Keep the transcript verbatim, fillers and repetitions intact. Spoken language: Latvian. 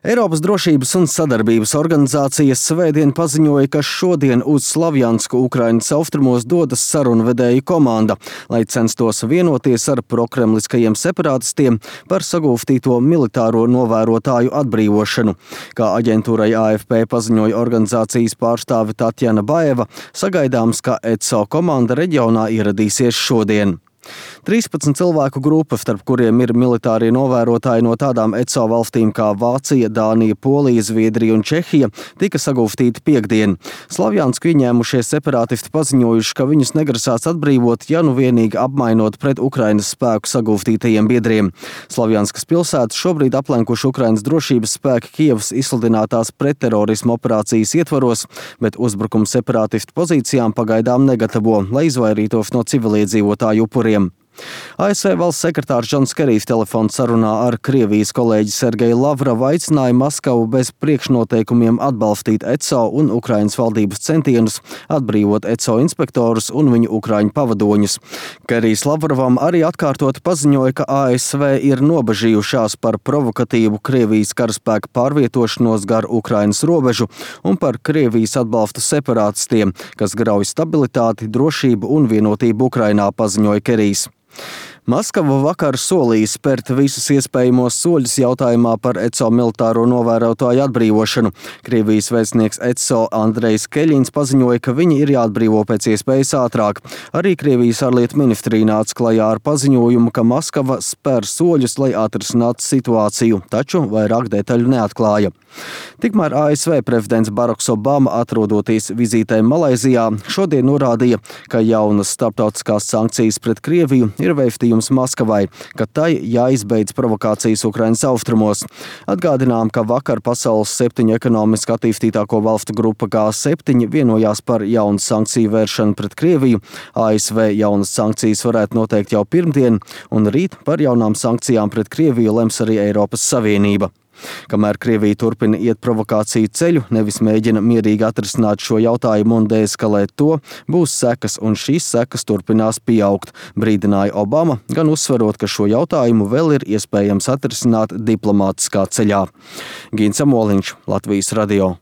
Eiropas drošības un sadarbības organizācijas svētdien paziņoja, ka šodien uz Slavjansku Ukrainas austrumos dodas sarunvedēju komanda, lai censtos vienoties ar prokremliskajiem separatistiem par sagūstīto militāro novērotāju atbrīvošanu. Kā aģentūrai A F P paziņoja organizācijas pārstāve Tatjana Baeva, sagaidāms, ka E C O komanda reģionā ieradīsies šodien. trīspadsmit cilvēku grupa, starp kuriem ir militārie novērotāji no tādām E C O valstīm kā Vācija, Dānija, Polija, Zviedrija un Čehija, tika sagūstīti piekdien. Slavjansku ieņēmušie separātisti paziņojuši, ka viņus negrasās atbrīvot, ja nu vienīgi apmainot pret Ukrainas spēku sagūstītajiem biedriem. Slavjanskas pilsētu šobrīd aplenkuši Ukrainas drošības spēki Kijevas izsludinātās pretterorisma operācijas ietvaros, bet uzbrukumu separātistu pozīcijām pagaidām negatavo, lai izvairītos no civiliedzīvotāju upuriem. A S V valsts sekretārs Džons Kerijs telefona sarunā ar Krievijas kolēģi Sergeju Lavrovu aicināja Maskavu bez priekšnoteikumiem atbalstīt E C O un Ukrainas valdības centienus atbrīvot E C O inspektorus un viņu ukraiņu pavadoņus. Kerijs Lavrovam arī atkārtot paziņoja, ka A S V ir nobažījušās par provokatīvu Krievijas karaspēka pārvietošanos gar Ukrainas robežu un par Krievijas atbalstu separātistiem, kas grauj stabilitāti, drošību un vienotību Ukrainā, paziņoja Kerijs. Maskava vakar solīja spērt visus iespējamos soļus jautājumā par E C O militāro novērotāju atbrīvošanu. Krievijas vēstnieks E C O Andrejs Keļins paziņoja, ka viņi ir jāatbrīvo pēc iespējas ātrāk. Arī Krievijas ārlietu ministrija nāca klajā ar paziņojumu, ka Maskava spēr soļus, lai atrisinātu situāciju, taču vairāk detaļu neatklāja. Tikmēr A S V prezidents Baraks Obama, atrodoties vizītē Malaizijā, šodien norādīja, ka jaunas starptautiskās sankcijas pret Krieviju ir vēstījums Maskavai, ka tai jāizbeidz provokācijas Ukrainas austrumos. Atgādinām, ka vakar pasaules septiņu ekonomiski attīstītāko valstu grupa G septiņi vienojās par jaunu sankciju vēršanu pret Krieviju. A S V jaunas sankcijas varētu noteikt jau pirmdien, un rīt par jaunām sankcijām pret Krieviju lems arī Eiropas Savienība. Kamēr Krievija turpina iet provokāciju ceļu, nevis mēģina mierīgi atrisināt šo jautājumu un deeskalēt to, būs sekas, un šīs sekas turpinās pieaugt, brīdināja Obama, gan uzsverot, ka šo jautājumu vēl ir iespējams atrisināt diplomātiskā ceļā. Gins Amoliņš, Latvijas radio.